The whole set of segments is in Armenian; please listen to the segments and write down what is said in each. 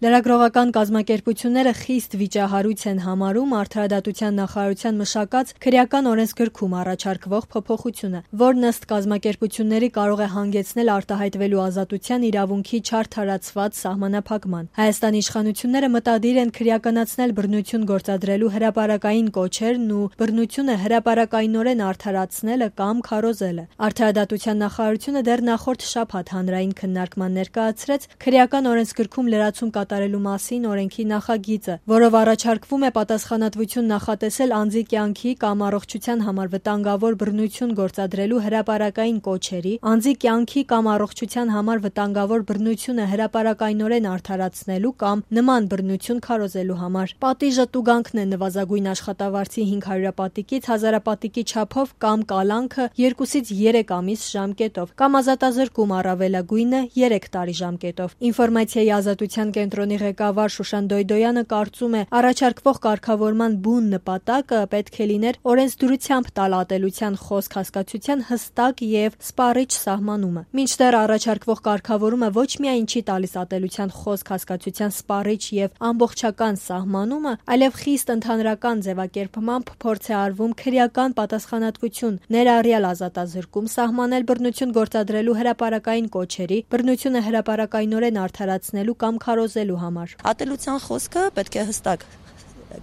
Լրագրողական կազմակերպությունները խիստ վիճահարույց են համարում Արդարադատության նախարարության մշակած քրեական օրենսգրքում առաջարկվող փոփոխությունը, որն ըստ կազմակերպությունների կարող է հանգեցնել արտահայտվելու ազատության իրավունքի չարդարացված սահմանափակման։ Հայաստանի իշխանությունները մտադիր են քրեականացնել բռնություն գործադրելու հրապարակային կոչերն ու բռնությունը հրապարակայնորեն արդարացնելը կամ քարոզելը։ Արդարադատության նախարարությունը դեռ նախորդ շաբաթ հանրային քննարկման ներկայացրեց քրեական օրենսգրքում լրացում կատարելու մասին օրենքի նախագիծը, որով առաջարկվում է պատասխանատվություն նախատեսել անձի կյանքի կամ առողջության համար վտանգավոր բռնություն գործադրելու հրապարակային կոչերի, անձի կյանքի կամ առողջության համար վտանգավոր բռնությունը հրապարակայնորեն արդարացնելու կամ նման բռնություն քարոզելու համար։ Պատիժը տուգանքն է նվազագույն աշխատավարձի 500 պատիկից 1000 պատիկի չափով կամ կալանքը 2-ից 3 ամիս ժամկետով կամ ազատազրկում առավելագույնը 3 տարի ժամկետով։ Ինֆորմացիայի ազատության կենտրոնի ղեկավար Շուշան Դոյդոյանը կարծում է, առաջարկվող կարգավորման բուն նպատակը պետք է լիներ օրենսդրությամբ տալ ատելության խոսք հասկացության հստակ եւ սպառիչ սահմանումը։ Մինչդեռ առաջարկվող կարգավորումը ոչ միայն չի տալիս ատելության խոսք հասկացության սպառիչ եւ ամբողջական սահմանումը, այլև խիստ ընդհանրական ձևակերպմամբ փորձ է արվում քրեական պատասխանատվություն, ներառյալ ազատազրկում սահմանել բռնություն գործադրելու հրապարակային կոչերի, բռնությունը հրապարակայնորեն արդարացնելու կամ քարոզելու համար։ Ատելության խոսքը պետք է հստակ,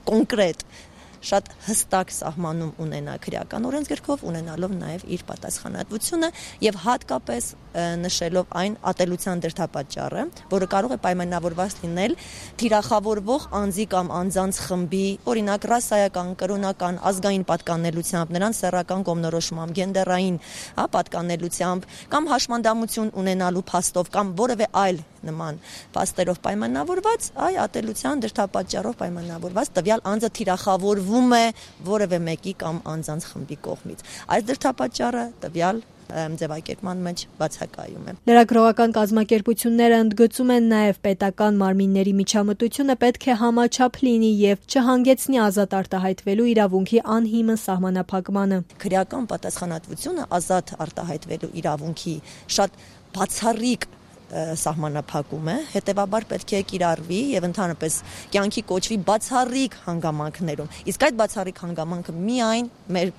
կոնկրետ, շատ հստակ սահմանում ունենա քրեական օրենսգրքով, ունենալով նաև իր պատասխանատվությունը եւ հատկապես նշելով այն ատելության դրդապատճառը, որը կարող է պայմանավորված լինել թիրախավորվող անձի կամ անձանց խմբի, օրինակ ռասայական, կրոնական, ազգային պատկանելությամբ, նրանց սեռական կողմնորոշմամբ, գենդերային պատկանելությամբ կամ հաշմանդամություն ունենալու փաստով կամ որևէ այլ նման փաստերով պայմանավորված, ատելության դրդապատճառով պայմանավորված տվյալ անձը թիրախավորվում է որևէ մեկի կամ անձանց խմբի կողմից։ Այս դրդապատճառը տվյալ ձևակերպման մեջ բացակայում է։ Լրագրողական կազմակերպությունները ընդգծում են նաև պետական մարմինների միջամտությունը պետք է համաչափ լինի եւ չհանգեցնի ազատ արտահայտվելու իրավունքի անհիմն սահմանափակմանը։ Քրեական պատասխանատվությունը ազատ արտահայտվելու իրավունքի շատ բացառիկ սահմանափակում է, հետևաբար պետք է կիրառվի եւ ընդհանրապես կյանքի կոչվի բացառիկ հանգամանքներում։ Իսկ այդ բացառիկ հանգամանքը միայն մեր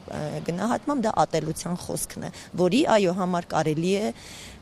գնահատմամբ դա ատելության խոսքն է, որի համար կարելի է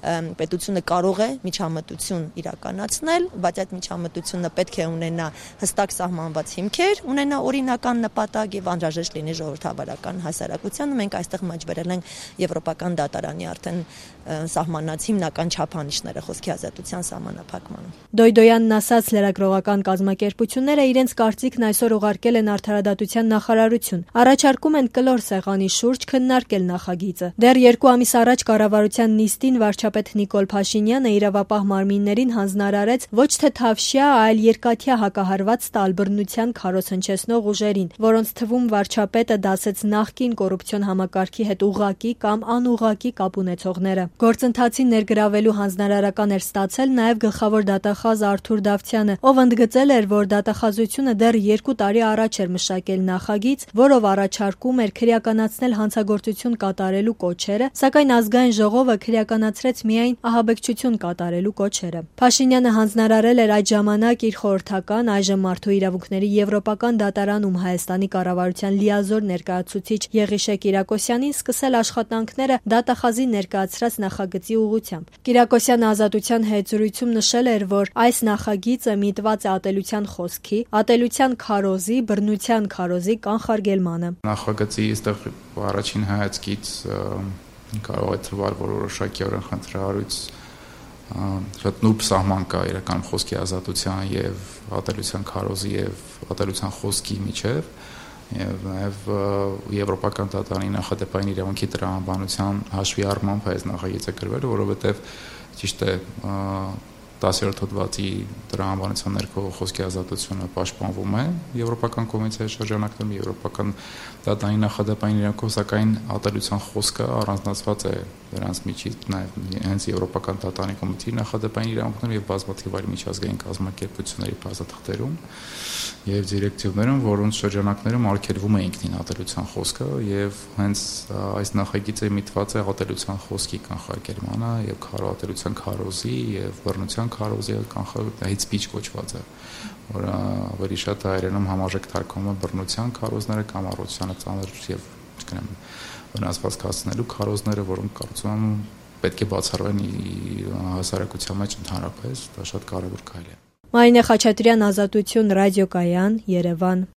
պետությունը կարող է միջամտություն իրականացնել, բայց այդ միջամտությունը պետք է ունենա հստակ սահմանված հիմքեր, ունենա օրինական նպատակ եւ անհրաժեշտ լինի ժողովրդավարական հասարակությանը։ Մենք այստեղ մաճ ենք Եվրոպական դատարանի արդեն սահմանած հիմնական չափանիշները խոսքի ազատության սահմանափակման։ Դոյդոյանն ասաց, լրագրողական կազմակերպությունները իրենց կարծիքն այսօր ուղարկել են Արդարադատության նախարարություն։ Առաջարկում են կլոր սեղանի շուրջ քննարկել նախագիծը։ Դեռ 2 ամիս առաջ կառավարության նիստին վարչապետ Նիկոլ Փաշինյանը իրավապահ մարմիններին հանձնարարեց ոչ թե թավշյա, այլ երկաթյա հակահարված տալ բռնության քարոզ հնչեցնող ուժերին, որոնց թվում վարչապետը դասեց նախկին կոռուպցիոն համակարգի հետ ուղղակի կամ անուղղակի կապ ունեցողները։ Գործընթացին ներգրավելու հանձնարարական էր ստացել նաև գլխավոր դատախազ Արթուր Դավթյանը, ով ընդգծել էր, որ դատախազությունը դեռ 2 տարի առաջ էր մշակել նախագիծ, որով առաջարկում էր քրեականացնել հանցագործություն կատարելու կոչերը, սակայն ազգային ժողովը քրեականացրեց միայն ահաբեկչություն կատարելու կոչերը։ Փաշինյանը հանձնարարել էր այդ ժամանակ իր խորհրդական, այժմ Մարդու իրավունքների եվրոպական դատարանում Հայաստանի կառավարության լիազոր ներկայացուցիչ Եղիշե Կիրակոսյանին սկսել աշխատանքները դատախազի ներկայացրած նախագծի ուղղությամբ։ Կիրակոսյանը Ազատության հետ զրույցում նշել էր, որ այս նախագիծը միտված է ատելության խոսքի, ատելության քարոզի, բռնության քարոզի կանխարգելմանը։ Նախագծի այստեղ առաջին հայացքից կարող է թվալ, որ որոշակի օրենքանտրարույց շատ նուրբ սահման կա իրական խոսքի ազատության եւ ատելության քարոզի եւ ատելության խոսքի միջեւ եւ նաեւ եվրոպական դատարանի նախադեպային իրավունքի տրամաբանության հաշվի առմամբ այս նախագիծը գրվել, որովհետեւ ճիշտ է 10-րդ հոդվածի տրամաբանության ներքո խոսքի ազատությունը պաշտպանվում է Եվրոպական կոնվենցիայի շրջանակներում, Եվրոպական դատարանի նախադեպային իրավունքով, սակայն ատելության խոսքը առանձնացված է դրանց միջից նաև հենց եվրոպական դատանի կոմիտեի նախադեպային իրավունքներում եւ բազմաթիվ այլ միջազգային կազմակերպությունների բազաթղթերում եւ դիրեկտիվներում, որոնց շրջանակներում արգելվում է ինքնին ատելության խոսքը եւ հենց այս նախագիծը միտված է ատելության խոսքի կանխարգելմանը եւ քարոատելության քարոզի եւ բռնության քարոզի hate speech կոչված է, որը ավելի շատ հայերենում համարժեք թարգմանվում է բռնության քարոզները կամ առողջությանը ծանր եւ չգիտեմ վնասված կացնելու քարոզները, որոնք կարծում եմ պետք է բացառվեն հասարակության մեջ ընդհանրապես, դա շատ կարևոր քայլ է։ Մարինե Խաչատրյան, Ազատություն, Ռադիոկայան, Երևան։